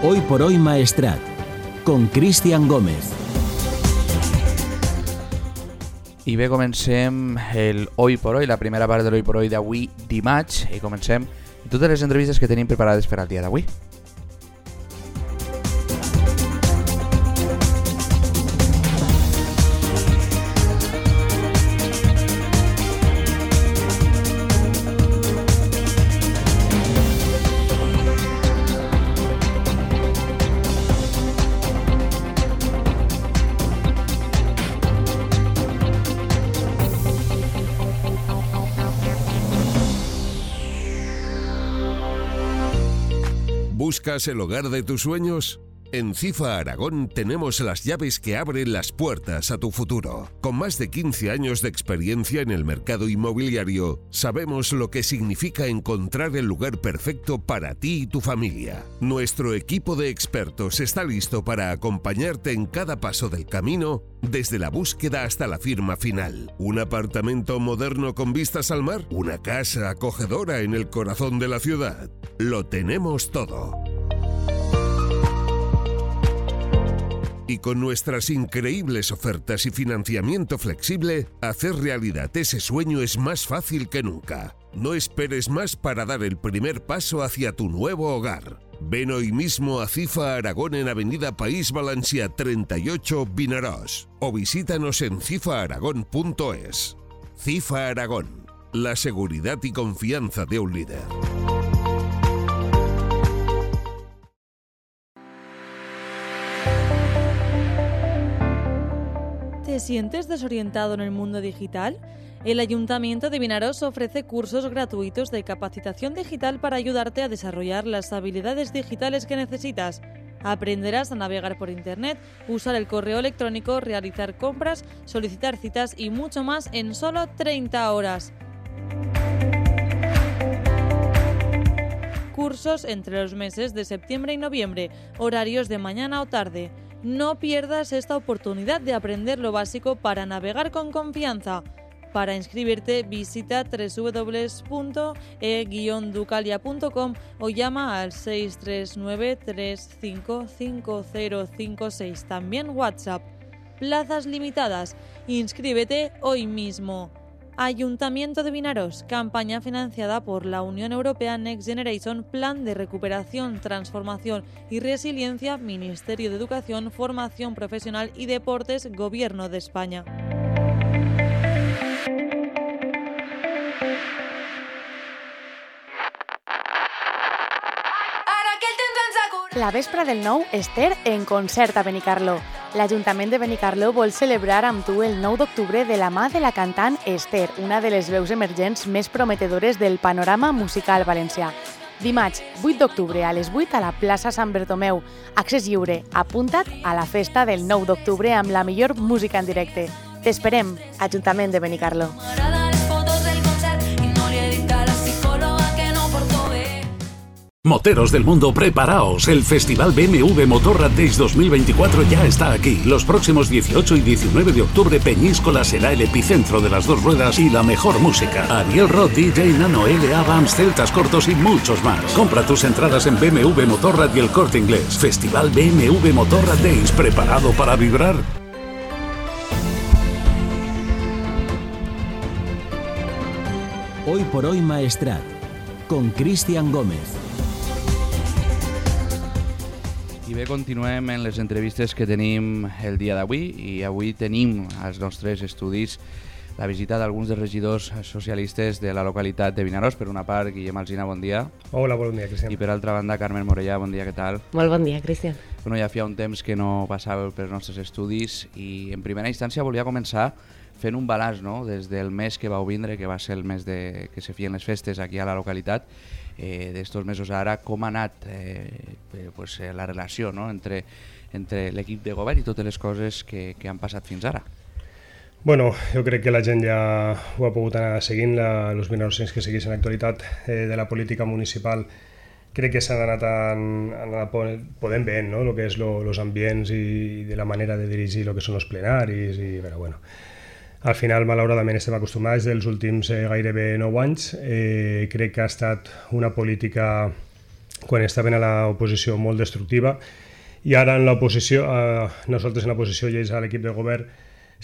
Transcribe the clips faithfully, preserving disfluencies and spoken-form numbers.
Hoy por hoy Maestrat, con Cristian Gómez. I bé, comencem el Hoy por Hoy, la primera part de l'Hoy por Hoy d'avui dimarts, i comencem totes les entrevistes que tenim preparades per al dia d'avui. ¿Buscas el hogar de tus sueños? En Cifa Aragón tenemos las llaves que abren las puertas a tu futuro. Con más de quince años de experiencia en el mercado inmobiliario, sabemos lo que significa encontrar el lugar perfecto para ti y tu familia. Nuestro equipo de expertos está listo para acompañarte en cada paso del camino, desde la búsqueda hasta la firma final. ¿Un apartamento moderno con vistas al mar? ¿Una casa acogedora en el corazón de la ciudad? Lo tenemos todo. Y con nuestras increíbles ofertas y financiamiento flexible, hacer realidad ese sueño es más fácil que nunca. No esperes más para dar el primer paso hacia tu nuevo hogar. Ven hoy mismo a Cifa Aragón en Avenida País Valencià treinta y ocho, Vinaròs, o visítanos en cifa aragón punto es. Cifa Aragón, la seguridad y confianza de un líder. ¿Te sientes desorientado en el mundo digital? El Ayuntamiento de Vinaròs ofrece cursos gratuitos de capacitación digital para ayudarte a desarrollar las habilidades digitales que necesitas. Aprenderás a navegar por Internet, usar el correo electrónico, realizar compras, solicitar citas y mucho más en solo treinta horas. Cursos entre los meses de septiembre y noviembre, horarios de mañana o tarde. No pierdas esta oportunidad de aprender lo básico para navegar con confianza. Para inscribirte, visita doble u doble u doble u punto e guion ducalia punto com o llama al seis tres nueve tres cinco cinco cero cinco seis. También WhatsApp. Plazas limitadas. Inscríbete hoy mismo. Ayuntamiento de Vinaròs, campaña financiada por la Unión Europea Next Generation, Plan de Recuperación, Transformación y Resiliencia, Ministerio de Educación, Formación Profesional y Deportes, Gobierno de España. La vespra del nou, Esther en concert a Benicarló. L'Ajuntament de Benicarló vol celebrar amb tu el nou d'octubre de la mà de la cantant Esther, una de les veus emergents més prometedores del panorama musical valencià. Dimarts, vuit d'octubre, a les vuit a la plaça Sant Bertomeu. Accés lliure. Apunta't a la festa del nou d'octubre amb la millor música en directe. T'esperem, Ajuntament de Benicarló. Moteros del mundo, preparaos. El Festival B M W Motorrad Days dos mil veinticuatro ya está aquí. Los próximos dieciocho y diecinueve de octubre, Peñíscola será el epicentro de las dos ruedas y la mejor música. Ariel Roth, D J Nano, L A, Vams, Celtas Cortos y muchos más. Compra tus entradas en B M W Motorrad y El Corte Inglés. Festival B M W Motorrad Days, ¿preparado para vibrar? Hoy por hoy Maestrat, con Cristian Gómez. I bé, continuem en les entrevistes que tenim el dia d'avui, i avui tenim als nostres estudis la visita d'alguns dels regidors socialistes de la localitat de Vinaròs. Per una part, Guillem Alsina, bon dia. Hola, bon dia, Cristian. I per altra banda, Carmen Morellà, bon dia, què tal? Molt bon dia, Cristian. Bueno, ja feia un temps que no passàveu pels nostres estudis i en primera instància volia començar fent un balanç, no?, des del mes que vau vindre, que va ser el mes de... que se feien les festes aquí a la localitat, eh, d'estos mesos ara, com ha anat eh, eh, pues, eh, la relació, no?, entre, entre l'equip de govern i totes les coses que, que han passat fins ara. Bueno, jo crec que la gent ja ho ha pogut anar seguint, la, els vinaròsens que segueixen l'actualitat eh, de la política municipal. Crec que s'han anat, an, anat podent veure, no?, el que és els ambients i de la manera de dirigir el que són els plenaris i, però, bueno, al final, malauradament, estem acostumats dels últims eh, gairebé nou anys. Eh, crec que ha estat una política quan estaven a l'oposició molt destructiva, i ara en l'oposició, eh, nosaltres en la posició i ells a l'equip de govern,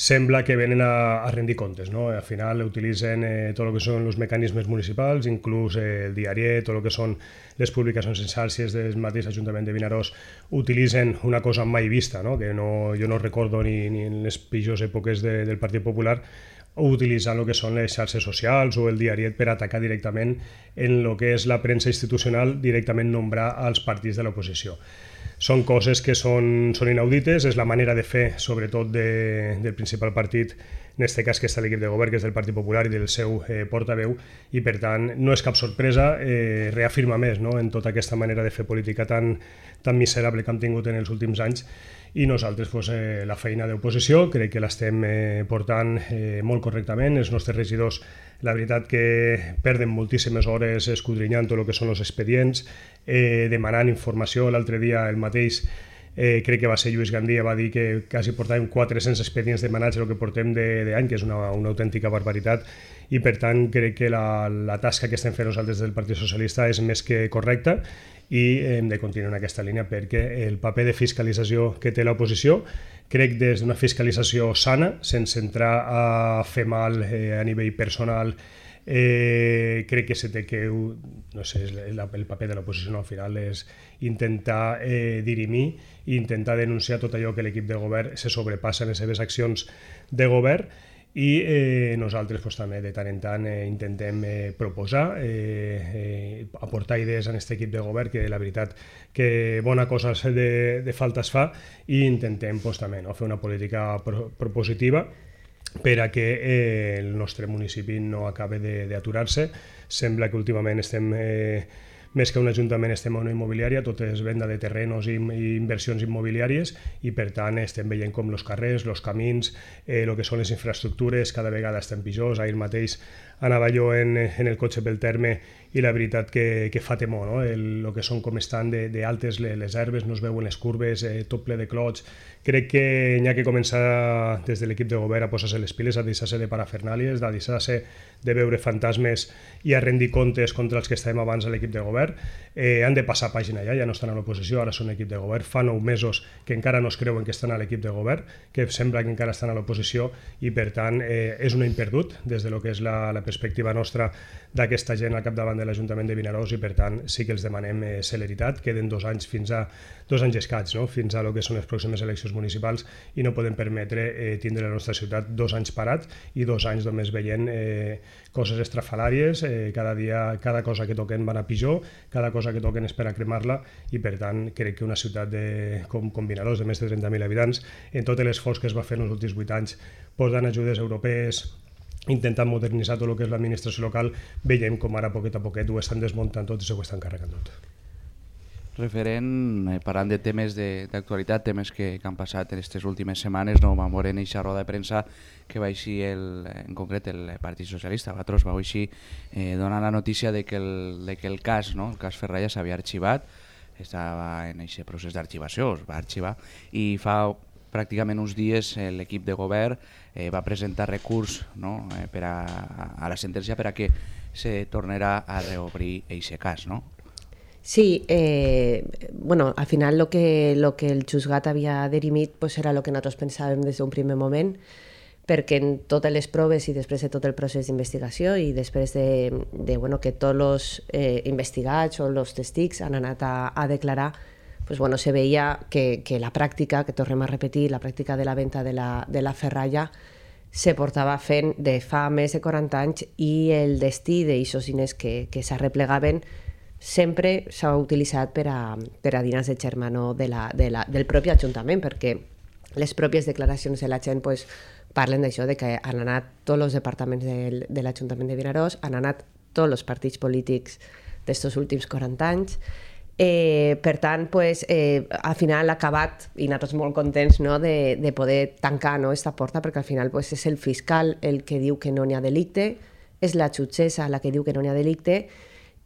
sembla que venen a, a rendir comptes, no? Al final utilitzen eh, tot el que són els mecanismes municipals, inclús eh, el diariet, tot el que són les publicacions en xarxes del mateix Ajuntament de Vinaròs, utilitzen una cosa mai vista, no? Que no, jo no recordo ni, ni en les pitjors èpoques de, del Partit Popular, utilitzant el que són les xarxes socials o el diariet per atacar directament en el que és la premsa institucional, directament nombrar als partits de l'oposició. Són coses que són, són inaudites, és la manera de fer, sobretot de, del principal partit, en aquest cas que està l'equip de govern, que és del Partit Popular i del seu eh, portaveu, i per tant no és cap sorpresa, eh, reafirma més, no?, en tota aquesta manera de fer política tan, tan miserable que hem tingut en els últims anys, i nosaltres pues, eh, la feina d'oposició crec que l'estem eh, portant eh, molt correctament. Els nostres regidors, la veritat que perden moltíssimes hores escudrinyant tot el que són els expedients, eh, demanant informació. L'altre dia el mateix, eh, crec que va ser Lluís Gandia, va dir que quasi portàvem quatre-cents expedients demanats el que portem d'any, que és una, una autèntica barbaritat, i per tant crec que la, la tasca que estem fent nosaltres del Partit Socialista és més que correcta, i hem de continuar en aquesta línia perquè el paper de fiscalització que té l'oposició, crec des d'una fiscalització sana, sense entrar a fer mal eh, a nivell personal, eh, crec que se té que, no sé, el, el paper de l'oposició no, al final és intentar eh, dirimir i intentar denunciar tot allò que l'equip de govern se sobrepassa en les seves accions de govern, i eh, nosaltres pues, també de tant en tant eh, intentem eh, proposar, eh, eh, aportar idees en aquest equip de govern, que la veritat que bona cosa de, de falta es fa, i intentem pues, també no, fer una política pro, propositiva per a que eh, el nostre municipi no acabe d'aturar-se. Sembla que últimament estem... Eh, més que un ajuntament estem a una immobiliària, tot és venda de terrenos i, i inversions immobiliàries, i per tant estem veient com els carrers, els camins, eh, el que són les infraestructures cada vegada estan pitjors. Ahir mateix anava jo en, en el cotxe pel terme i la veritat que, que fa temor, no? El, el que són com estan d'altes les, les herbes, no es veuen les curves, eh, tot ple de clots. Crec que n'hi ha que començar des de l'equip de govern a posar-se les piles, a deixar-se de parafernàlies, a deixar-se de veure fantasmes i a rendir comptes contra els que estàvem abans a l'equip de govern. Eh, han de passar pàgina ja, ja no estan a l'oposició, ara són equip de govern. Fa nou mesos que encara no es creuen que estan a l'equip de govern, que sembla que encara estan a l'oposició, i per tant eh, és un any perdut des de lo que és la, la perspectiva nostra d'aquesta gent al capdavant de l'Ajuntament de Vinaròs, i per tant sí que els demanem eh, celeritat. Queden dos anys fins a dos anys escaig, no? Fins a lo que són les pròximes eleccions municipals, i no podem permetre eh, tindre la nostra ciutat dos anys parat i dos anys només veient eh, coses estrafalàries, eh, cada dia, cada cosa que toquen van a pitjor, cada cosa que toquen és per a cremar-la, i per tant crec que una ciutat de, com, com Vinaròs, de més de trenta mil habitants, en tot l'esforç que es va fer en els últims vuit anys, posant ajudes europees, intentant modernitzar tot el que és l'administració local, veiem com ara poquet a poquet ho estan desmuntant tot i s'ho estan carregant tot. Referent, eh, parlant de temes d'actualitat, temes que, que han passat en aquestes últimes setmanes, no vam veure en aquesta roda de premsa que va així, el, en concret, el Partit Socialista, vosaltres vau així eh, donant la notícia de que el, de que el cas, no, el cas Ferralla s'havia arxivat, estava en aquest procés d'arxivació, es va arxivar, i fa pràcticament uns dies eh, l'equip de govern eh, va presentar recurs, no, eh, per a, a la sentència per a que se tornarà a reobrir aquest cas, no? Sí, eh, bueno, al final lo que, lo que el juzgat havia dirimit pues era el que nosaltres pensàvem des d'un primer moment, perquè en totes les proves i després de tot el procés d'investigació i després de, de bueno, que tots els eh, investigats o els testics han anat a, a declarar, pues bueno, se veia que, que la pràctica, que tornem a repetir, la pràctica de la venda de la, de la ferralla se portava fent de fa més de quaranta anys, i el destí d'aixòs diners que, que s'arreplegaven sempre s'ha utilitzat per a, per a dinars de germano de la, de la, del propi Ajuntament, perquè les pròpies declaracions de la gent pues, parlen d'això, de que han anat tots els departaments de, de l'Ajuntament de Vinaròs, han anat tots els partits polítics d'estos últims quaranta anys. Eh, per tant, pues, eh, al final ha acabat, i nosaltres molt contents, no, de, de poder tancar, no, esta porta, perquè al final pues, és el fiscal el que diu que no n'hi ha delicte, és la jutgessa la que diu que no n'hi ha delicte,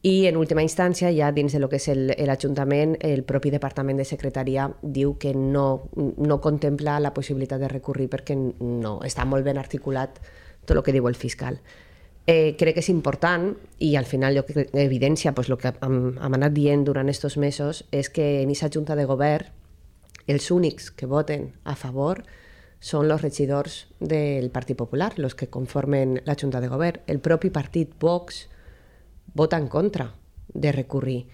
i en última instància, ja dins de lo que és l'Ajuntament, el, el propi Departament de Secretaria diu que no, no contempla la possibilitat de recurrir perquè no està molt ben articulat tot el que diu el fiscal. Eh, crec que és important i al final jo crec que evidència pues, el que hem, hem anat dient durant aquests mesos és que en aquesta junta de govern els únics que voten a favor són els regidors del Partit Popular, els que conformen la junta de govern. El propi partit Vox vota en contra de recurrir.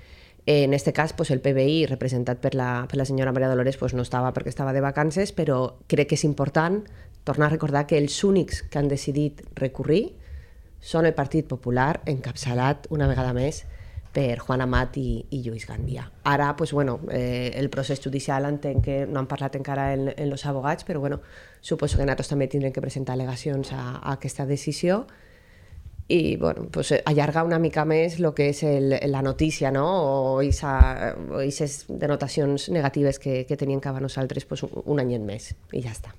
En aquest cas, pues, el P B I, representat per la, per la senyora Maria Dolores, pues, no estava perquè estava de vacances, però crec que és important tornar a recordar que els únics que han decidit recurrir són el Partit Popular, encapçalat una vegada més per Juan Amat i, i Lluís Gandia. Ara, pues, bueno, eh, el procés judicial entenc que no han parlat encara en, en els abogats, però bueno, suposo que nosaltres també tindrem que presentar al·legacions a, a aquesta decisió i bueno, pues, allargar una mica més el que és el, la notícia, no? o aquestes denotacions negatives que, que tenien cap a nosaltres pues, un, un anyet més, i ja està.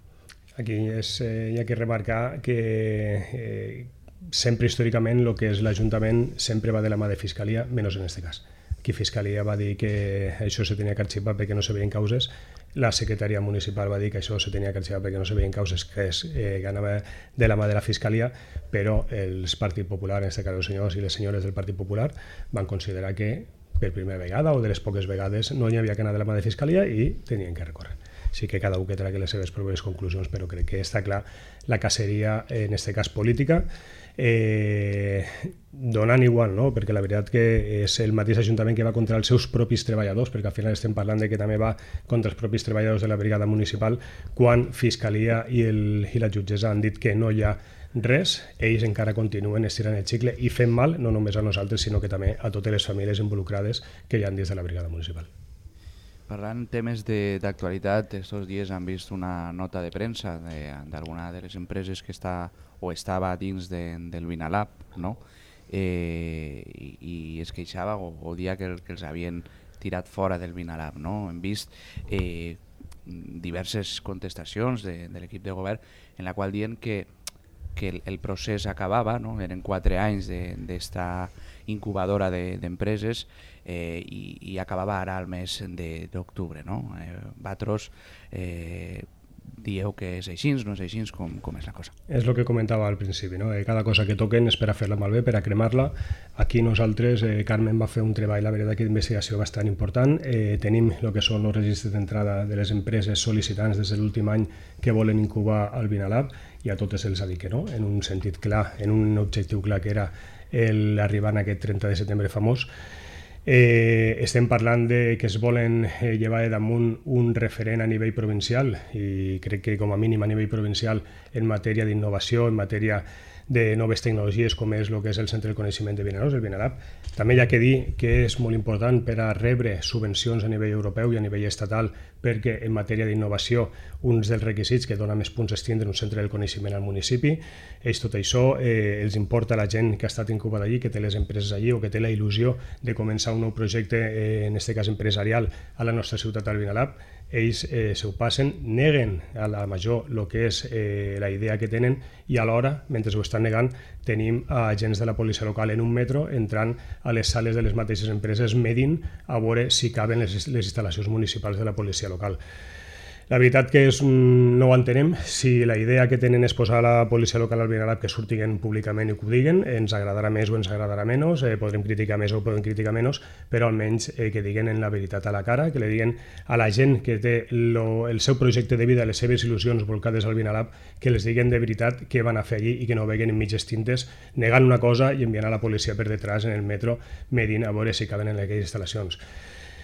Aquí és, eh, hi ha que remarcar que eh, sempre històricament el que és l'Ajuntament sempre va de la mà de Fiscalia, menys en aquest cas. Aquí Fiscalia va dir que això se tenia que arxivar perquè no se veien causes, la secretaria municipal va dir que això se tenia que arxivar perquè no se veien causes, que, és, eh, que anava de la mà de la Fiscalia, però els Partit Popular, en aquest cas els senyors i les senyores del Partit Popular, van considerar que per primera vegada o de les poques vegades no hi havia que anar de la mà de Fiscalia i tenien que recórrer. Sí que cada un que tragui les seves proves conclusions, però crec que està clar la caceria, en aquest cas política, eh, donant igual, no? Perquè la veritat que és el mateix Ajuntament que va contra els seus propis treballadors, perquè al final estem parlant de que també va contra els propis treballadors de la brigada municipal, quan Fiscalia i, el, i la jutgessa han dit que no hi ha res, ells encara continuen estirant el xicle i fent mal no només a nosaltres, sinó que també a totes les famílies involucrades que hi ha dins de la brigada municipal. Parlant temes d'actualitat, aquests dies han vist una nota de premsa d'alguna de, de les empreses que està o estava dins de, del Vinalab, no? eh, i, i es queixava o, o dia que, que els havien tirat fora del Vinalab. No? Hem vist eh, diverses contestacions de, de l'equip de govern en la qual diuen que, que el, el procés acabava, no? Eren quatre anys d'esta de, incubadora d'empreses de, Eh, i, i acabava ara al mes d'octubre. No? Eh, Vosaltres eh, dieu que és així, no és així, com, com és la cosa? És el que comentava al principi, no? eh, cada cosa que toquen és per a fer-la malbé, per a cremar-la. Aquí nosaltres, eh, Carmen va fer un treball, la veritat, d'investigació bastant important. Eh, tenim el que són els registres d'entrada de les empreses sol·licitants des de l'últim any que volen incubar al Vinalab, i a totes els ha dit que no, en un sentit clar, en un objectiu clar que era l'arribar a aquest trenta de setembre famós. Eh, estem parlant de que es volen eh, llevar damunt un referent a nivell provincial, i crec que com a mínim a nivell provincial en matèria d'innovació, en matèria de noves tecnologies, com és el que és el Centre del Coneixement de Vinaròs, el Vinalab. També hi ha que dir que és molt important per a rebre subvencions a nivell europeu i a nivell estatal, perquè en matèria d'innovació uns dels requisits que dona més punts és tindre un centre del coneixement al municipi. Ells tot això eh, els importa a la gent que ha estat incubada allí, que té les empreses allí o que té la il·lusió de començar un nou projecte, eh, en aquest cas empresarial, a la nostra ciutat al Vinalab. Ells eh, se ho passen, neguen a la major el que és eh, la idea que tenen, i alhora, mentre ho estan negant, tenim agents de la policia local en un metro entrant a les sales de les mateixes empreses medint a veure si caben les, les instal·lacions municipals de la policia local. La veritat que és, no ho entenem. Si la idea que tenen és posar la policia local al Vinalab que surtin públicament i que ho diguen, ens agradarà més o ens agradarà menys, eh, podrem criticar més o podem criticar menys, però almenys eh, que diguen en la veritat a la cara, que li diguen a la gent que té lo, el seu projecte de vida, les seves il·lusions volcades al Vinalab, que les diguen de veritat què van a fer allí i que no veguen en mitges tintes negant una cosa i enviant a la policia per detrás en el metro medint a veure si caben en aquelles instal·lacions.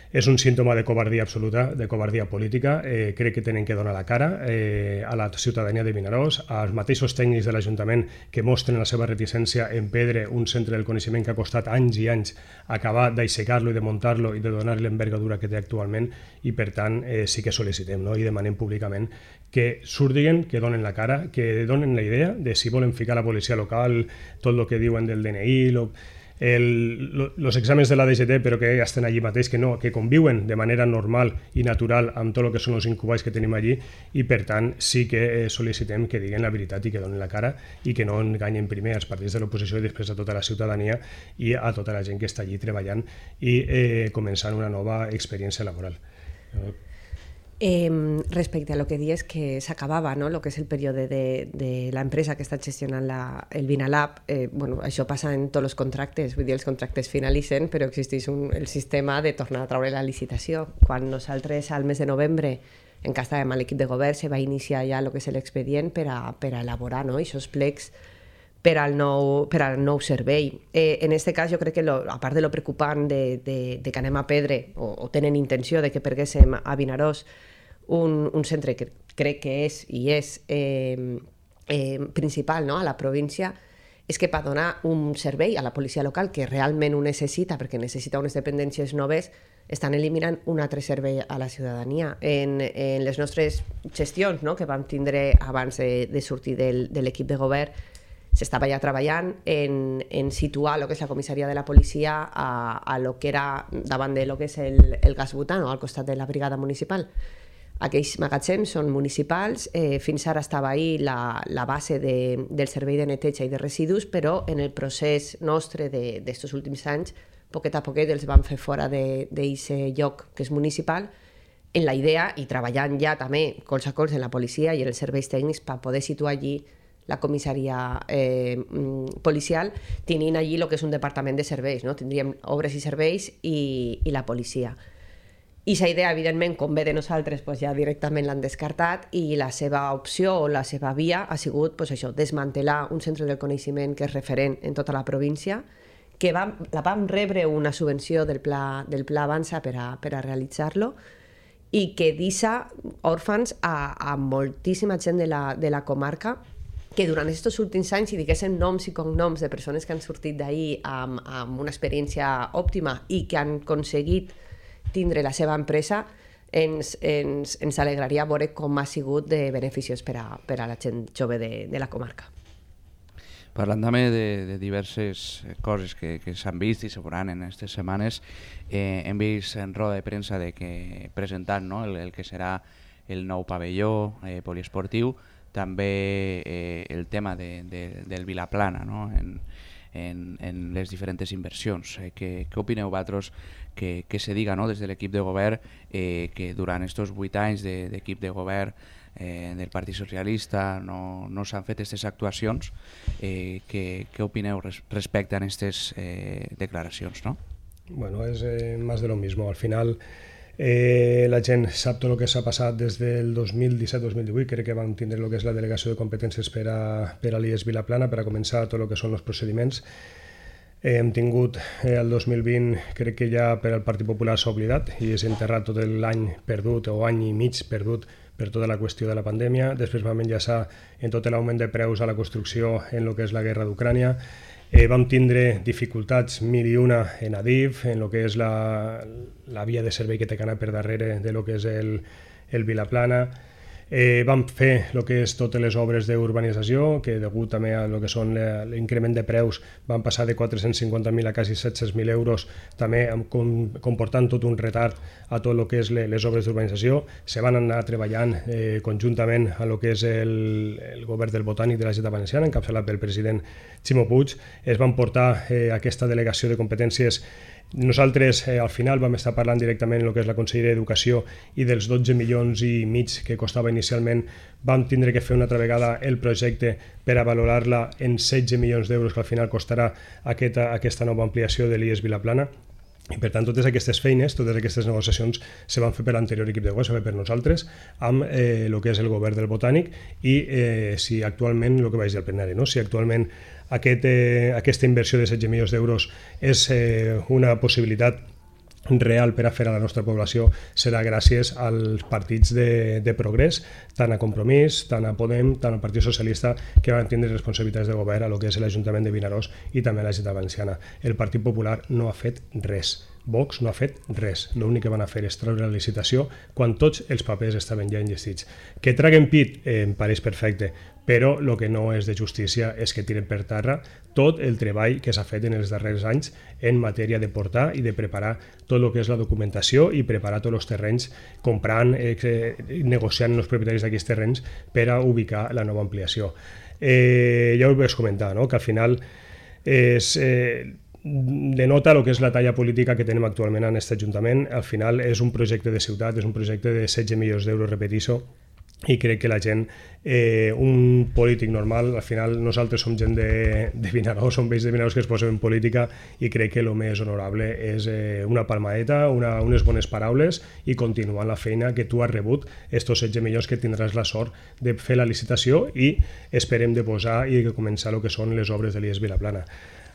És un símptoma de covardia absoluta, de covardia política. Eh, crec que tenen que donar la cara eh, a la ciutadania de Vinaròs, als mateixos tècnics de l'Ajuntament que mostren la seva reticència en perdre un centre del coneixement que ha costat anys i anys acabar d'aixecar-lo i de muntar-lo i de donar-li l'envergadura que té actualment, i per tant eh, sí que sol·licitem, no? I demanem públicament que surtin, que donen la cara, que donen la idea de si volen ficar la policia local, tot el que diuen del D N I, lo, els exàmens de la D G T, però que ja estan allí mateix, que no, que conviuen de manera normal i natural amb tot el que són els incubats que tenim allí, i per tant sí que eh, sol·licitem que diguen la veritat i que donen la cara i que no enganyen primer als partits de l'oposició i després a tota la ciutadania i a tota la gent que està allí treballant i eh, començant una nova experiència laboral. Eh, respecte a lo que dius que s'acabava, no? Lo que és el període de, de l'empresa que està gestionant la, el Vinalab, eh, bueno, això passa en tots els contractes, vull dir, els contractes finalitzen, però existeix un, el sistema de tornar a treure la licitació. Quan nosaltres al mes de novembre, en què estàvem a l'equip de govern, se va iniciar ja el que és l'expedient per a, per a elaborar, no? Aquests plecs per al nou, per al nou servei. Eh, en aquest cas, jo crec que, lo, a part de lo preocupant de, de, de que anem a perdre, o, o tenen intenció de que perguéssim a Vinaròs un, un centre que crec que és i és eh, eh, principal, no?, a la província, és que per donar un servei a la policia local que realment ho necessita, perquè necessita unes dependències noves, estan eliminant un altre servei a la ciutadania. En, en les nostres gestions, no?, que vam tindre abans de, de sortir del, de l'equip de govern, s'estava ja treballant en, en situar el que és la comissaria de la policia a, a lo que era davant de lo que és el, el gas butano, al costat de la brigada municipal. Aquells magatzems són municipals, eh, fins ara estava ahí la, la base de, del servei de neteja i de residus, però en el procés nostre d'estos de, últims anys, poquet a poquet els van fer fora d'aquest lloc que és municipal, en la idea, i treballant ja també cols a cols en la policia i en els serveis tècnics per poder situar allí la comissaria eh, policial, tenint allí el que és un departament de serveis, no? Tindríem obres i serveis i, i la policia. I aquesta idea, evidentment, com ve de nosaltres, pues ja directament l'han descartat i la seva opció o la seva via ha sigut pues això, desmantelar un centre del coneixement que és referent en tota la província, que vam, la vam rebre una subvenció del Pla, del pla Avança per a, per a realitzar-lo, i que deixa òrfans a, a moltíssima gent de la, de la comarca que durant aquests últims anys, si diguéssim noms i cognoms de persones que han sortit d'ahir amb, amb una experiència òptima i que han aconseguit tindre la seva empresa, ens, ens, ens alegraria veure com ha sigut de beneficiós per a, per a la gent jove de, de la comarca. Parlant també de, de diverses coses que, que s'han vist i se veuran en aquestes setmanes, eh, hem vist en roda de premsa de que presentant, no?, el, el que serà el nou pavelló eh, poliesportiu, també eh, el tema de, de, del Vilaplana, no?, en, en, en les diferents inversions. Eh, què, què opineu vosaltres que, que se diga, no?, des de l'equip de govern eh, que durant aquests vuit anys d'equip de, de govern eh, del Partit Socialista no, no s'han fet aquestes actuacions? Eh, què, què opineu res, respecte a aquestes eh, declaracions, no? Bueno, és eh, más de lo mismo. Al final Eh, la gent sap tot el que s'ha passat des del dos mil disset dos mil divuit, crec que vam tindre el que és la delegació de competències per a, per a l'I E S Vilaplana, per a començar tot el que són els procediments. Eh, hem tingut eh, el dos mil vint, crec que ja per al Partit Popular s'ha oblidat i és enterrat tot l'any perdut o any i mig perdut per tota la qüestió de la pandèmia. Després vam enllaçar en tot l'augment de preus a la construcció en el que és la guerra d'Ucrània. Eh, vam tindre dificultats mil i una en Adif, en el que és la, la via de servei que té que anar per darrere de lo que és el, el Vilaplana. Eh, vam fer el que és totes les obres d'urbanització, que degut també a lo que són l'increment de preus van passar de quatre-cents cinquanta mil a quasi set-cents mil euros, també comportant tot un retard a tot el que és les obres d'urbanització. Se van anar treballant eh, conjuntament a lo que és el, el govern del Botànic de la Generalitat Valenciana, encapçalat pel president Ximo Puig. Es van portar eh, aquesta delegació de competències. Nosaltres eh, al final vam estar parlant directament en el que és la Conselleria d'Educació i dels dotze milions i mig que costava inicialment vam tindre que fer una altra vegada el projecte per a valorar-la en setze milions d'euros que al final costarà aquesta, aquesta nova ampliació de l'I E S Vilaplana. I per tant, totes aquestes feines, totes aquestes negociacions se van fer per l'anterior equip de govern, se va fer per nosaltres, amb eh, el que és el govern del Botànic i eh, si actualment, el que vaig dir al plenari, no? si actualment aquest, eh, aquesta inversió de setze milions d'euros és eh, una possibilitat real per a fer a la nostra població, serà gràcies als partits de, de progrés, tant a Compromís, tant a Podem, tant al Partit Socialista, que van tindre responsabilitats de govern a lo que és l'Ajuntament de Vinaròs i també a la Generalitat Valenciana. El Partit Popular no ha fet res. Vox no ha fet res. L'únic que van a fer és treure la licitació quan tots els papers estaven ja enllestits. Que traguen pit eh, em pareix perfecte, però el que no és de justícia és que tiren per terra tot el treball que s'ha fet en els darrers anys en matèria de portar i de preparar tot el que és la documentació i preparar tots els terrenys, comprant, eh, negociant amb els propietaris d'aquests terrenys per a ubicar la nova ampliació. Eh, ja ho vaig comentar, no? Que al final és... Eh, denota el que és la talla política que tenim actualment en aquest Ajuntament. Al final és un projecte de ciutat, és un projecte de setze milions d'euros, repeteixo, i crec que la gent, eh, un polític normal, al final nosaltres som gent de, de Vinaròs, som vells de Vinaròs que es posen en política, i crec que el més honorable és eh, una palmadeta, una, unes bones paraules i continuar la feina que tu has rebut, estos setze milions que tindràs la sort de fer la licitació i esperem de posar i de començar el que són les obres de l'I E S Vilaplana.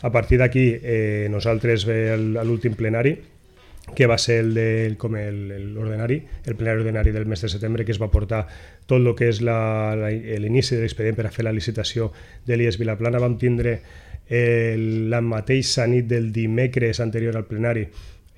A partir d'aquí, eh, nosaltres ve el, l'últim plenari, que va ser el de, com l'ordinari, el plenari ordinari del mes de setembre, que es va portar tot el que és la, la, l'inici de l'expedient per a fer la licitació de l'I E S Vilaplana. Vam tindre eh, la mateixa nit del dimecres anterior al plenari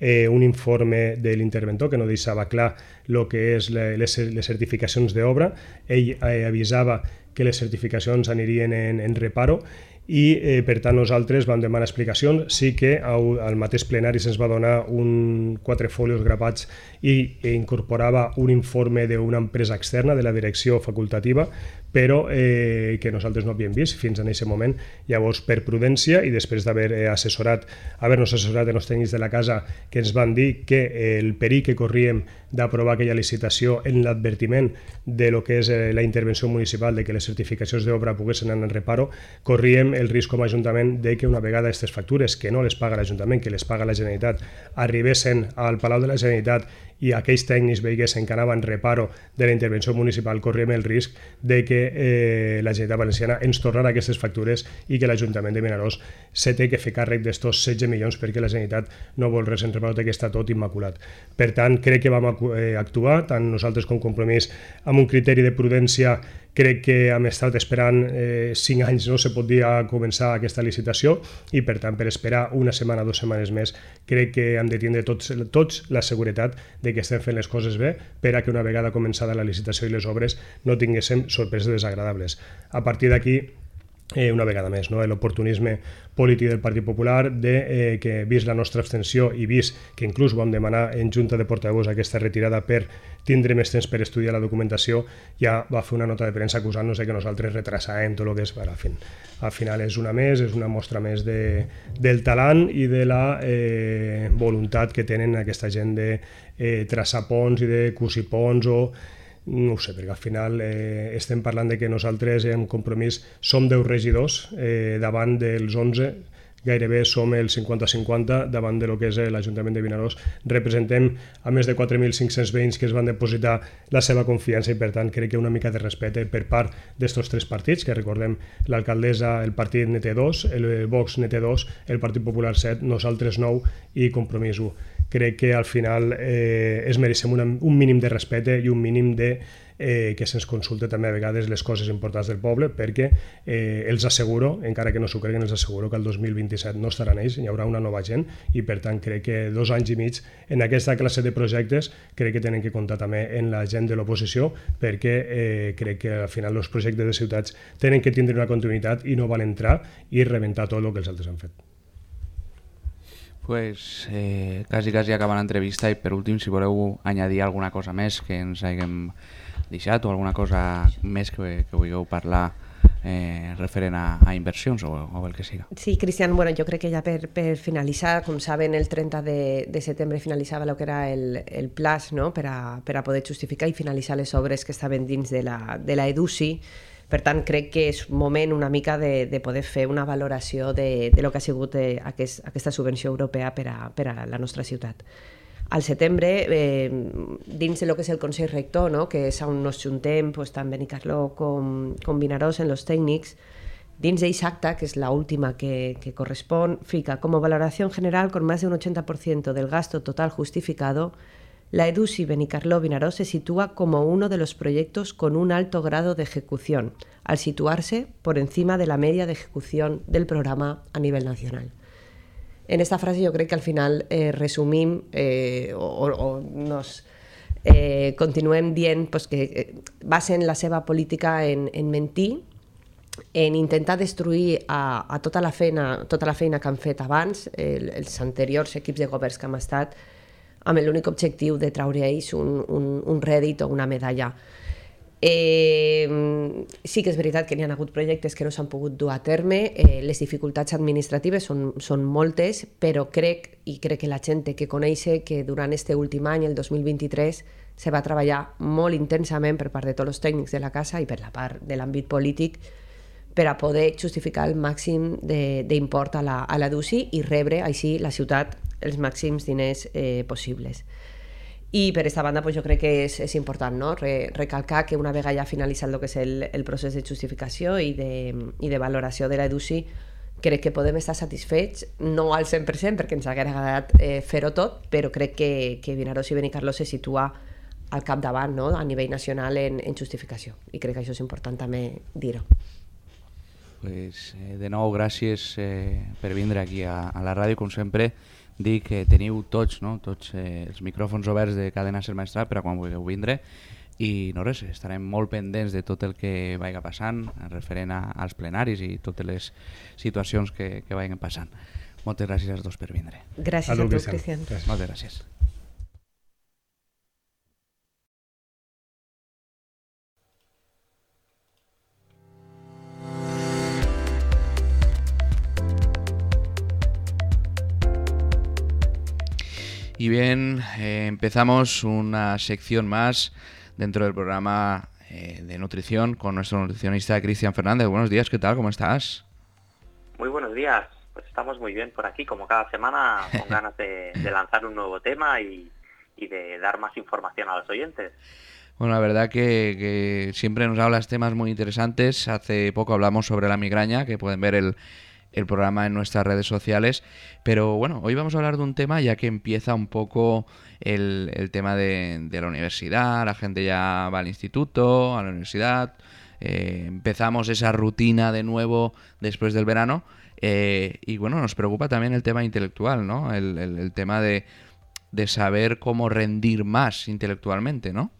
eh, un informe de l'interventor que no deixava clar el que és les, les certificacions d'obra. Ell eh, avisava que les certificacions anirien en, en reparo, i eh, per tant nosaltres vam demanar explicacions. Sí que au, al mateix plenari se'ns va donar un, quatre folios grapats i eh, incorporava un informe d'una empresa externa de la direcció facultativa, però eh, que nosaltres no havíem vist fins en aquest moment. Llavors, per prudència i després d'haver eh, assessorat, haver-nos assessorat en els tècnics de la casa, que ens van dir que eh, el perill que corríem d'aprovar aquella licitació en l'advertiment de lo que és eh, la intervenció municipal de que les certificacions d'obra poguessin anar en reparo, corríem el risc com a Ajuntament de que una vegada aquestes factures, que no les paga l'Ajuntament, que les paga la Generalitat, arribessin al Palau de la Generalitat i aquells tècnics veiguessin que anaven reparo de la intervenció municipal, corríem el risc de que eh, la Generalitat Valenciana ens tornarà aquestes factures i que l'Ajuntament de Vinaròs se té que fer càrrec d'estos setze milions perquè la Generalitat no vol res en reparo, que està tot immaculat. Per tant, crec que vam actuar, tant nosaltres com Compromís, amb un criteri de prudència. Crec que hem estat esperant eh, cinc anys, no se pot dir, a començar aquesta licitació, i per tant, per esperar una setmana, dues setmanes més, crec que hem de tindre tots, tots la seguretat de que estem fent les coses bé, per a que una vegada començada la licitació i les obres no tinguéssim sorpreses desagradables. A partir d'aquí, Eh, una vegada més, no? L'oportunisme polític del Partit Popular, de eh, que, vist la nostra abstenció i vist que inclús vam demanar en Junta de Portaveus aquesta retirada per tindre més temps per estudiar la documentació, ja va fer una nota de premsa acusant-nos de que nosaltres retrasàvem tot el que és. Al, fin, al final és una més, és una mostra més de, del talent i de la eh, voluntat que tenen aquesta gent de eh, traçar ponts i de cosir ponts, o no ho sé, perquè al final eh, estem parlant de que nosaltres en Compromís som deu regidors eh, davant dels onze, gairebé som el cinquanta cinquanta davant de lo que és l'Ajuntament de Vinaròs. Representem a més de quatre mil cinc-cents veïns que es van depositar la seva confiança, i per tant crec que una mica de respecte per part d'estos tres partits, que recordem, l'alcaldessa, el partit ne té dos, el Vox ne té dos, el Partit Popular set, nosaltres nou i Compromís u. Crec que al final eh, es mereixem una, un mínim de respecte i un mínim de eh, que se'ns consulte també a vegades les coses importants del poble, perquè eh, els asseguro, encara que no s'ho creguen, els asseguro que el dos mil vint-i-set no estaran ells, hi haurà una nova gent, i per tant crec que dos anys i mig en aquesta classe de projectes crec que tenen que comptar també en la gent de l'oposició, perquè eh, crec que al final els projectes de ciutats tenen que tindre una continuïtat i no van entrar i rebentar tot el que els altres han fet. Pues eh, quasi, quasi acaba l'entrevista, i per últim, si voleu añadir alguna cosa més que ens haguem deixat, o alguna cosa més que, que vulgueu parlar eh, referent a, a inversions o, o el que siga. Sí, Cristian, bueno, jo crec que ja per, per finalitzar, com saben, el trenta de, de setembre finalitzava el que era el, el plaç, no?, per a, per a poder justificar i finalitzar les obres que estaven dins de la, de la EDUSI. Per tant, crec que és moment una mica de, de poder fer una valoració de, de lo que ha sigut eh, aquest, aquesta subvenció europea per a, per a la nostra ciutat. Al setembre, eh, dins de lo que és el Consell Rector, no?, que és on nos juntem pues, tant Benicarló com, com Vinaròs en los tècnics, dins d'eix acta, que és la última que, que correspon, fica, como valoración general, con más de un ochenta por ciento del gasto total justificado, la EDUSI Benicarló Vinaròs se sitúa como uno de los proyectos con un alto grado de ejecución, al situarse por encima de la media de ejecución del programa a nivel nacional. En esta frase yo creo que al final eh, resumim eh, o, o nos eh, continuem dient pues, que eh, basen la seva política en, en mentir, en intentar destruir a, a tota, la feina, tota la feina que han fet abans, el, els anteriors equips de governs que han estat, amb l'únic objectiu de traure ells un, un, un rèdit o una medalla. Eh, sí que és veritat que n'hi ha hagut projectes que no s'han pogut dur a terme, eh, les dificultats administratives són, són moltes, però crec, i crec que la gent té que conèixer que durant este últim any, el dos mil vint-i-tres, se va treballar molt intensament per part de tots els tècnics de la casa i per la part de l'àmbit polític per a poder justificar el màxim d'import a la, a la D U C I i rebre així la ciutat els màxims diners eh, possibles. I per aquesta banda pues, jo crec que és, és important, no? Re, recalcar que una vegada ja finalitzat el que és el, el procés de justificació i de, i de valoració de la D U C I, crec que podem estar satisfets, no al cent per cent perquè ens hauria agradat eh, fer-ho tot, però crec que, que Vinaròs i Benicarló se situa al capdavant, no? A nivell nacional en, en justificació, i crec que això és important també dir-ho. Pues, eh, de nou, gràcies eh, per vindre aquí a, a la ràdio, com sempre. Dic que teniu tots, no? tots eh, els micròfons oberts de Cadena Ser Maestrat per a quan vulgueu vindre i no res, estarem molt pendents de tot el que vagi passant referent a, als plenaris i totes les situacions que, que vagin passant. Moltes gràcies als dos per vindre. Gràcies a, a tu, Cristian. Gràcies. Moltes gràcies. Y bien, eh, empezamos una sección más dentro del programa eh, de nutrición con nuestro nutricionista Cristian Fernández. Buenos días, ¿qué tal? ¿Cómo estás? Muy buenos días, pues estamos muy bien por aquí, como cada semana, con ganas de, de lanzar un nuevo tema y, y de dar más información a los oyentes. Bueno, la verdad que, que siempre nos hablas temas muy interesantes. Hace poco hablamos sobre la migraña, que pueden ver el... el programa en nuestras redes sociales, pero bueno, hoy vamos a hablar de un tema ya que empieza un poco el, el tema de, de la universidad, la gente ya va al instituto, a la universidad, eh, empezamos esa rutina de nuevo después del verano eh, y bueno, nos preocupa también el tema intelectual, ¿no? El, el, el tema de, de saber cómo rendir más intelectualmente, ¿no?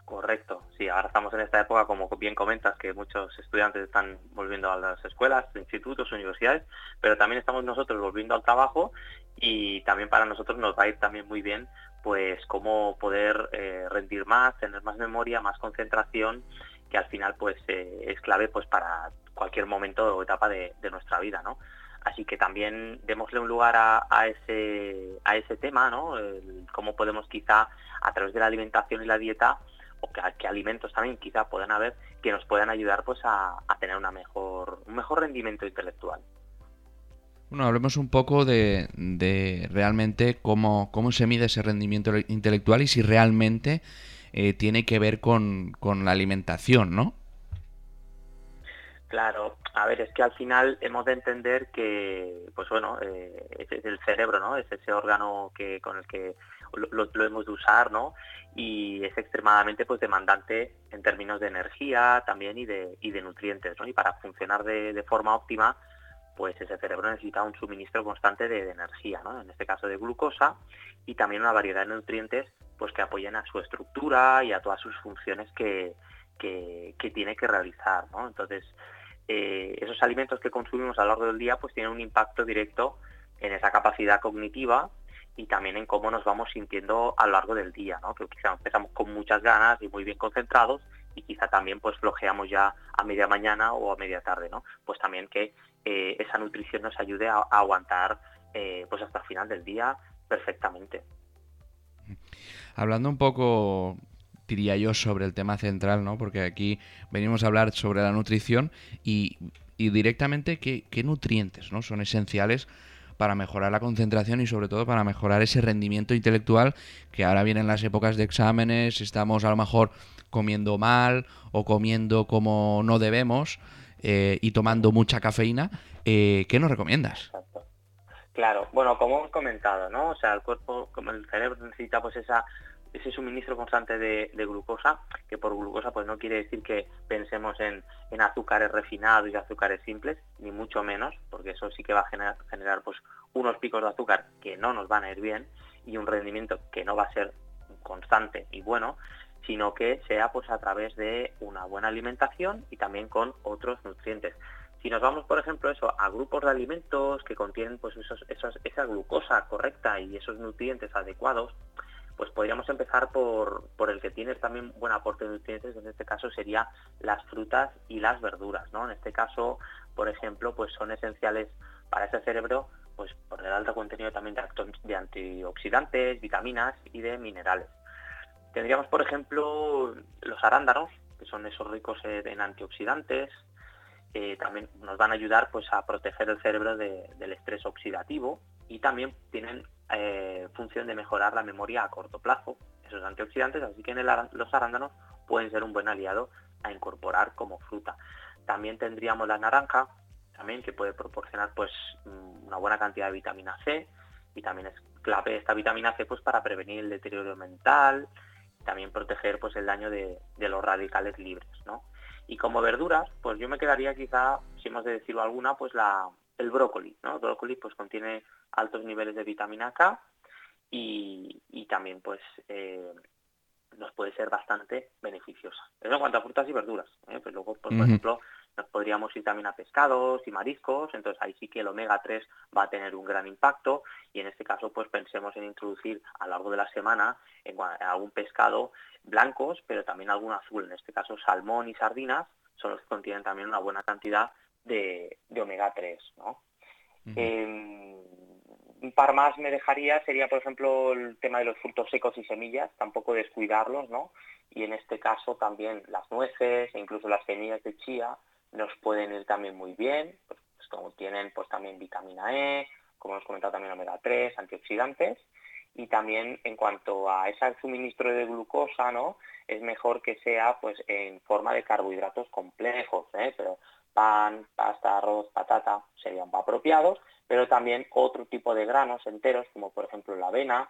Correcto, sí, ahora estamos en esta época, como bien comentas, que muchos estudiantes están volviendo a las escuelas, institutos, universidades, pero también estamos nosotros volviendo al trabajo y también para nosotros nos va a ir también muy bien pues cómo poder eh, rendir más, tener más memoria, más concentración, que al final pues eh, es clave pues para cualquier momento o etapa de, de nuestra vida, ¿no? Así que también démosle un lugar a, a ese a ese tema, ¿no? El, cómo podemos quizá a través de la alimentación y la dieta o qué, qué alimentos también quizá puedan haber que nos puedan ayudar pues a, a tener una mejor un mejor rendimiento intelectual. Bueno, hablemos un poco de, de realmente cómo, cómo se mide ese rendimiento intelectual y si realmente eh, tiene que ver con, con la alimentación, ¿no? Claro, a ver, es que al final hemos de entender que, pues bueno, eh, es el cerebro, ¿no? Es ese órgano que con el que lo, lo, lo hemos de usar, ¿no? Y es extremadamente pues demandante en términos de energía también y de, y de nutrientes, ¿no? Y para funcionar de, de forma óptima, pues ese cerebro necesita un suministro constante de, de energía, ¿no? En este caso de glucosa y también una variedad de nutrientes pues que apoyen a su estructura y a todas sus funciones que, que, que tiene que realizar, ¿no? Entonces, eh, esos alimentos que consumimos a lo largo del día pues tienen un impacto directo en esa capacidad cognitiva y también en cómo nos vamos sintiendo a lo largo del día, ¿no? Que quizá empezamos con muchas ganas y muy bien concentrados y quizá también pues flojeamos ya a media mañana o a media tarde, ¿no? Pues también que eh, esa nutrición nos ayude a, a aguantar eh, pues hasta el final del día perfectamente. Hablando un poco, diría yo, sobre el tema central, ¿no? Porque aquí venimos a hablar sobre la nutrición y, y directamente qué, qué nutrientes, ¿no? Son esenciales para mejorar la concentración y sobre todo para mejorar ese rendimiento intelectual, que ahora vienen las épocas de exámenes, estamos a lo mejor comiendo mal o comiendo como no debemos eh, y tomando mucha cafeína. Eh, ¿qué nos recomiendas? Claro, bueno, como hemos comentado, ¿no? O sea, el cuerpo, como el cerebro necesita pues esa ese suministro constante de, de glucosa, que por glucosa pues no quiere decir que pensemos en, en azúcares refinados y azúcares simples, ni mucho menos, porque eso sí que va a generar, generar pues unos picos de azúcar que no nos van a ir bien y un rendimiento que no va a ser constante y bueno, sino que sea pues a través de una buena alimentación y también con otros nutrientes. Si nos vamos, por ejemplo, eso a grupos de alimentos que contienen pues esos, esos, esa glucosa correcta y esos nutrientes adecuados, Pues podríamos empezar por, por el que tiene también buen aporte de nutrientes, que en este caso sería las frutas y las verduras, ¿no? En este caso, por ejemplo, pues son esenciales para ese cerebro, pues por el alto contenido también de, acto- de antioxidantes, vitaminas y de minerales. Tendríamos, por ejemplo, los arándanos, que son esos ricos en antioxidantes. Eh, también nos van a ayudar pues a proteger el cerebro de, del estrés oxidativo, y también tienen eh, función de mejorar la memoria a corto plazo, esos antioxidantes, así que en el, los arándanos pueden ser un buen aliado a incorporar como fruta. También tendríamos la naranja, también, que puede proporcionar pues una buena cantidad de vitamina C, y también es clave esta vitamina C pues para prevenir el deterioro mental, y también proteger pues el daño de, de los radicales libres, ¿no? Y como verduras, pues yo me quedaría quizá, si hemos de decirlo alguna, pues la, el brócoli, ¿no? El brócoli pues contiene altos niveles de vitamina K, y, y también pues eh, nos puede ser bastante beneficiosa. Eso en cuanto a frutas y verduras, ¿eh? Pues luego, pues, por uh-huh. ejemplo, nos podríamos ir también a pescados y mariscos, entonces ahí sí que el omega tres va a tener un gran impacto, y en este caso pues pensemos en introducir a lo largo de la semana en algún pescado blancos, pero también algún azul, en este caso salmón y sardinas son los que contienen también una buena cantidad de, de omega tres, ¿no? Uh-huh. Eh, un par más me dejaría, sería por ejemplo el tema de los frutos secos y semillas, tampoco descuidarlos, ¿no? Y en este caso también las nueces e incluso las semillas de chía nos pueden ir también muy bien, pues, pues como tienen pues también vitamina E, como hemos comentado también omega tres, antioxidantes, y también en cuanto a ese suministro de glucosa, ¿no? Es mejor que sea pues en forma de carbohidratos complejos, ¿eh? Pero pan, pasta, arroz, patata serían apropiados, pero también otro tipo de granos enteros, como por ejemplo la avena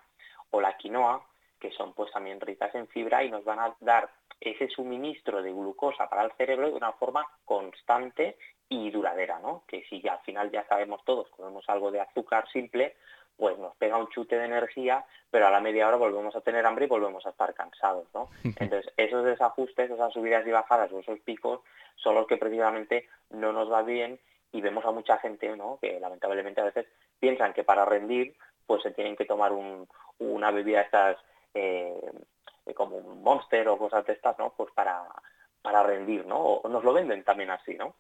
o la quinoa, que son pues también ricas en fibra y nos van a dar ese suministro de glucosa para el cerebro de una forma constante y duradera, ¿no? Que si al final ya sabemos todos, comemos algo de azúcar simple, pues nos pega un chute de energía, pero a la media hora volvemos a tener hambre y volvemos a estar cansados, ¿no? Entonces, esos desajustes, esas subidas y bajadas o esos picos son los que precisamente no nos va bien, y vemos a mucha gente, ¿no? Que lamentablemente a veces piensan que para rendir pues se tienen que tomar un, una bebida de estas eh, como un Monster o cosas de estas, ¿no? Pues para, para rendir, ¿no? O nos lo venden también así, ¿no?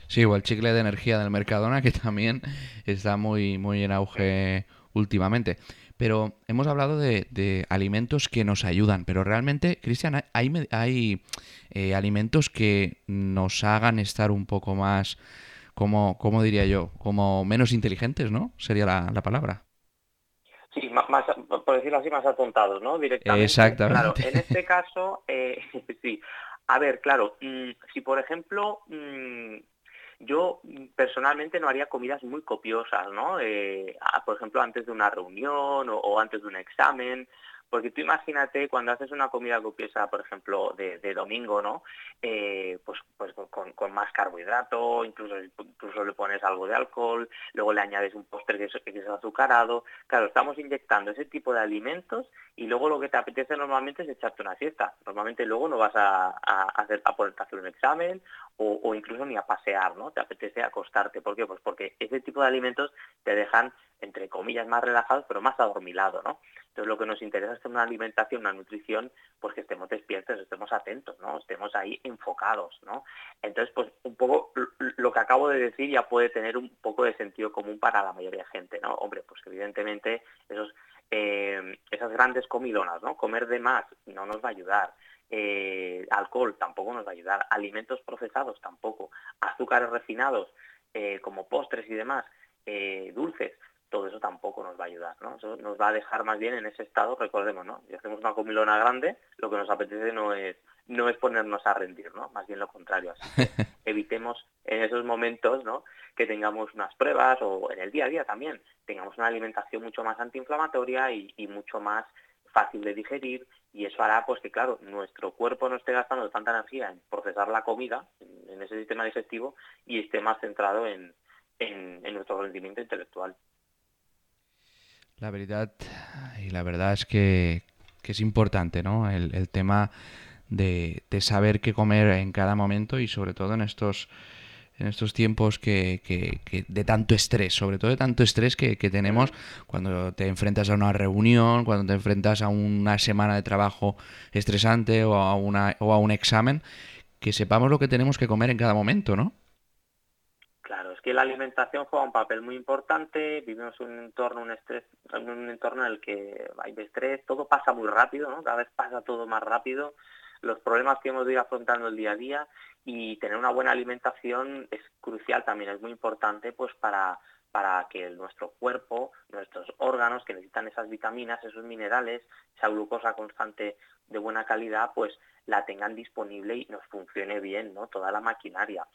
Sí, o el chicle de energía del Mercadona, que también está muy, muy en auge últimamente. Pero hemos hablado de, de alimentos que nos ayudan, pero realmente, Cristian, hay, hay eh, alimentos que nos hagan estar un poco más, como, ¿cómo diría yo? Como menos inteligentes, ¿no? Sería la, la palabra. Sí, más, más, por decirlo así, más atontados, ¿no? Directamente. Exactamente. Claro, en este caso, eh, sí. A ver, claro, mmm, si por ejemplo, mmm, yo personalmente no haría comidas muy copiosas, ¿no? Eh, por ejemplo, antes de una reunión o, o antes de un examen, porque tú imagínate cuando haces una comida copiosa, por ejemplo, de, de domingo, ¿no? Eh, pues pues con, con más carbohidrato, incluso, incluso le pones algo de alcohol, luego le añades un postre que es, que es azucarado. Claro, estamos inyectando ese tipo de alimentos y luego lo que te apetece normalmente es echarte una siesta. Normalmente luego no vas a, a, hacer, a ponerte a hacer un examen o, o incluso ni a pasear, ¿no? Te apetece acostarte. ¿Por qué? Pues porque ese tipo de alimentos te dejan, entre comillas, más relajados, pero más adormilado, ¿no? Entonces lo que nos interesa es una alimentación, una nutrición, pues que estemos despiertos, estemos atentos, ¿no? Estemos ahí enfocados, ¿no? Entonces, pues un poco lo que acabo de decir ya puede tener un poco de sentido común para la mayoría de gente, ¿no? Hombre, pues evidentemente esos, eh, esas grandes comilonas, ¿no? Comer de más no nos va a ayudar. Eh, alcohol tampoco nos va a ayudar. Alimentos procesados tampoco. Azúcares refinados, eh, como postres y demás, eh, dulces, todo eso tampoco nos va a ayudar, ¿no? Eso nos va a dejar más bien en ese estado, recordemos, ¿no? Si hacemos una comilona grande, lo que nos apetece no es no es ponernos a rendir, ¿no? Más bien lo contrario. Así que evitemos en esos momentos, ¿no? Que tengamos unas pruebas o en el día a día también tengamos una alimentación mucho más antiinflamatoria y, y mucho más fácil de digerir, y eso hará pues que, claro, nuestro cuerpo no esté gastando tanta energía en procesar la comida, en, en ese sistema digestivo, y esté más centrado en, en, en nuestro rendimiento intelectual. La verdad, y la verdad es que, que es importante, ¿no? El, el tema de, de saber qué comer en cada momento y sobre todo en estos en estos tiempos que, que, que de tanto estrés, sobre todo de tanto estrés que, que tenemos cuando te enfrentas a una reunión, cuando te enfrentas a una semana de trabajo estresante o a, una, o a un examen, que sepamos lo que tenemos que comer en cada momento, ¿no? Claro, es que la alimentación juega un papel muy importante, vivimos un entorno, un estrés, un entorno en el que hay estrés, todo pasa muy rápido, ¿no? Cada vez pasa todo más rápido, los problemas que hemos de ir afrontando el día a día, y tener una buena alimentación es crucial también, es muy importante pues para, para que nuestro cuerpo, nuestros órganos que necesitan esas vitaminas, esos minerales, esa glucosa constante de buena calidad, pues la tengan disponible y nos funcione bien, ¿no? Toda la maquinaria.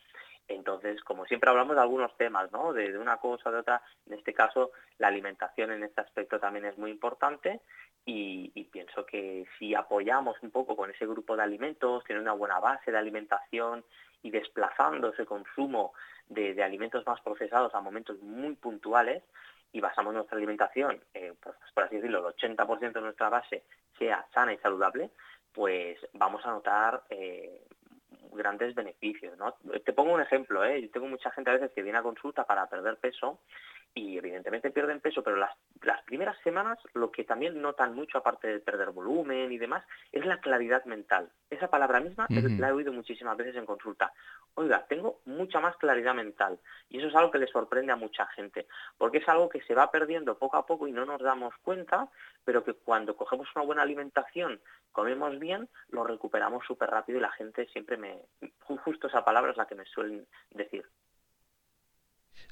Entonces, como siempre hablamos de algunos temas, ¿no? De, de una cosa, de otra, en este caso la alimentación en este aspecto también es muy importante y, y pienso que si apoyamos un poco con ese grupo de alimentos, tener una buena base de alimentación y desplazando ese consumo de, de alimentos más procesados a momentos muy puntuales y basamos nuestra alimentación, eh, pues, por así decirlo, el ochenta por ciento de nuestra base sea sana y saludable, pues vamos a notar eh, grandes beneficios, ¿no? Te pongo un ejemplo, ¿eh? Yo tengo mucha gente a veces que viene a consulta para perder peso y evidentemente pierden peso, pero las, las primeras semanas lo que también notan mucho, aparte de perder volumen y demás, es la claridad mental. Esa palabra misma uh-huh. la he oído muchísimas veces en consulta. Oiga, tengo mucha más claridad mental y eso es algo que le sorprende a mucha gente, porque es algo que se va perdiendo poco a poco y no nos damos cuenta, pero que cuando cogemos una buena alimentación, comemos bien, lo recuperamos súper rápido y la gente siempre me... Justo esa palabra es la que me suelen decir.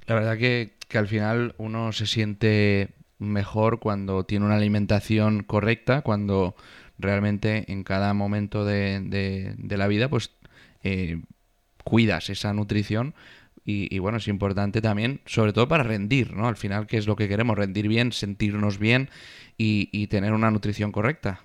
La verdad que, que al final uno se siente mejor cuando tiene una alimentación correcta, cuando realmente en cada momento de, de, de la vida pues eh, cuidas esa nutrición y, y bueno, es importante también, sobre todo para rendir, ¿no? Al final, ¿qué es lo que queremos? Rendir bien, sentirnos bien y, y tener una nutrición correcta.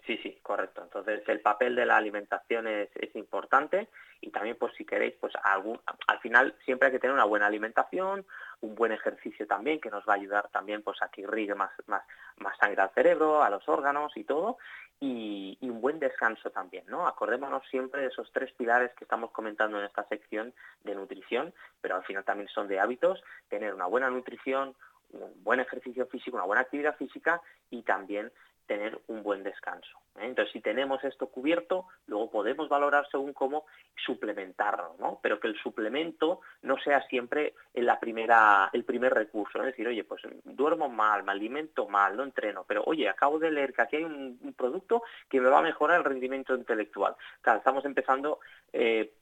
Sí, sí, correcto. Entonces el papel de la alimentación es, es importante y también pues si queréis, pues algún, al final siempre hay que tener una buena alimentación, un buen ejercicio también que nos va a ayudar también pues a que irrigue más, más, más sangre al cerebro, a los órganos y todo, y, y un buen descanso también, ¿no? Acordémonos siempre de esos tres pilares que estamos comentando en esta sección de nutrición, pero al final también son de hábitos, tener una buena nutrición, un buen ejercicio físico, una buena actividad física y también tener un buen descanso, ¿eh? Entonces, si tenemos esto cubierto, luego podemos valorar según cómo suplementarlo, ¿no? Pero que el suplemento no sea siempre en la primera, el primer recurso, ¿no? Es decir, oye, pues duermo mal, me alimento mal, no entreno, pero oye, acabo de leer que aquí hay un, un producto que me va a mejorar el rendimiento intelectual. Claro, estamos empezando eh,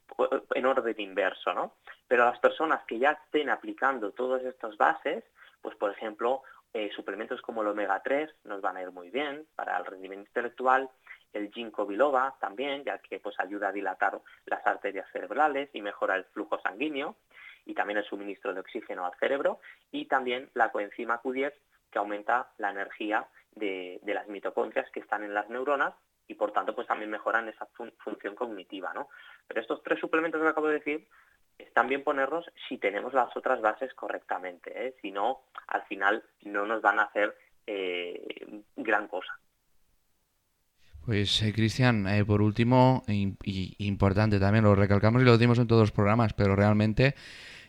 en orden inverso, ¿no? Pero las personas que ya estén aplicando todas estas bases, pues por ejemplo, Eh, suplementos como el omega tres nos van a ir muy bien para el rendimiento intelectual, el ginkgo biloba también, ya que pues ayuda a dilatar las arterias cerebrales y mejora el flujo sanguíneo y también el suministro de oxígeno al cerebro, y también la coenzima Q diez que aumenta la energía de, de las mitocondrias que están en las neuronas y por tanto pues también mejoran esa fun- función cognitiva, ¿no? Pero estos tres suplementos que acabo de decir están bien ponerlos si tenemos las otras bases correctamente, ¿eh? Si no, al final no nos van a hacer eh, gran cosa. Pues, eh, Cristian, eh, por último, y, y importante también, lo recalcamos y lo decimos en todos los programas, pero realmente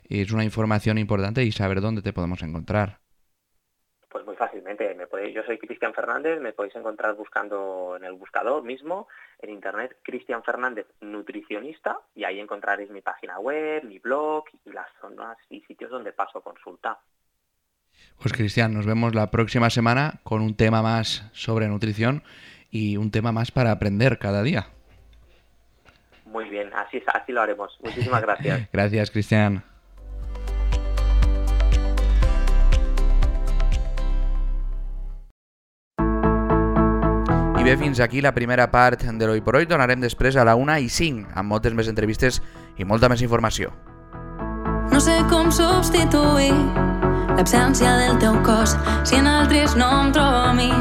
es una información importante y saber dónde te podemos encontrar. Pues muy fácilmente. Me podéis, yo soy Cristian Fernández, me podéis encontrar buscando en el buscador mismo, en internet, Cristian Fernández Nutricionista, y ahí encontraréis mi página web, mi blog y las zonas y sitios donde paso consulta. Pues Cristian, nos vemos la próxima semana con un tema más sobre nutrición y un tema más para aprender cada día. Muy bien, así, así lo haremos. Muchísimas gracias. Gracias, Cristian. I bé, fins aquí la primera part de l'Hoy por Hoy. Tornarem després a la una i cinc amb moltes més entrevistes i molta més informació. No sé com substituir l'absència del teu cos si en altres no em trobo a mi.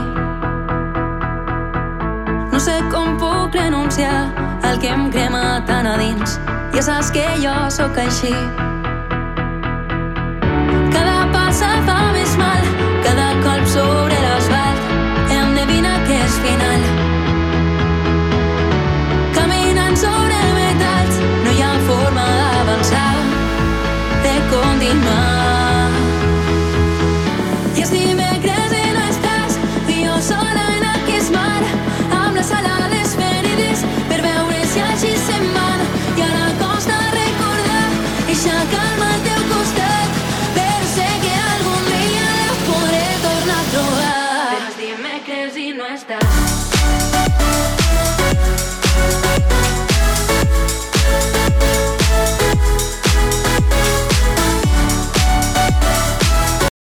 No sé com puc renunciar al que em crema tan a dins. Ja saps que jo sóc així. Cada passa fa més mal, cada colp sobre l'asfalt endevina que és final. Caminant sobre metalls no hi ha forma de estàs.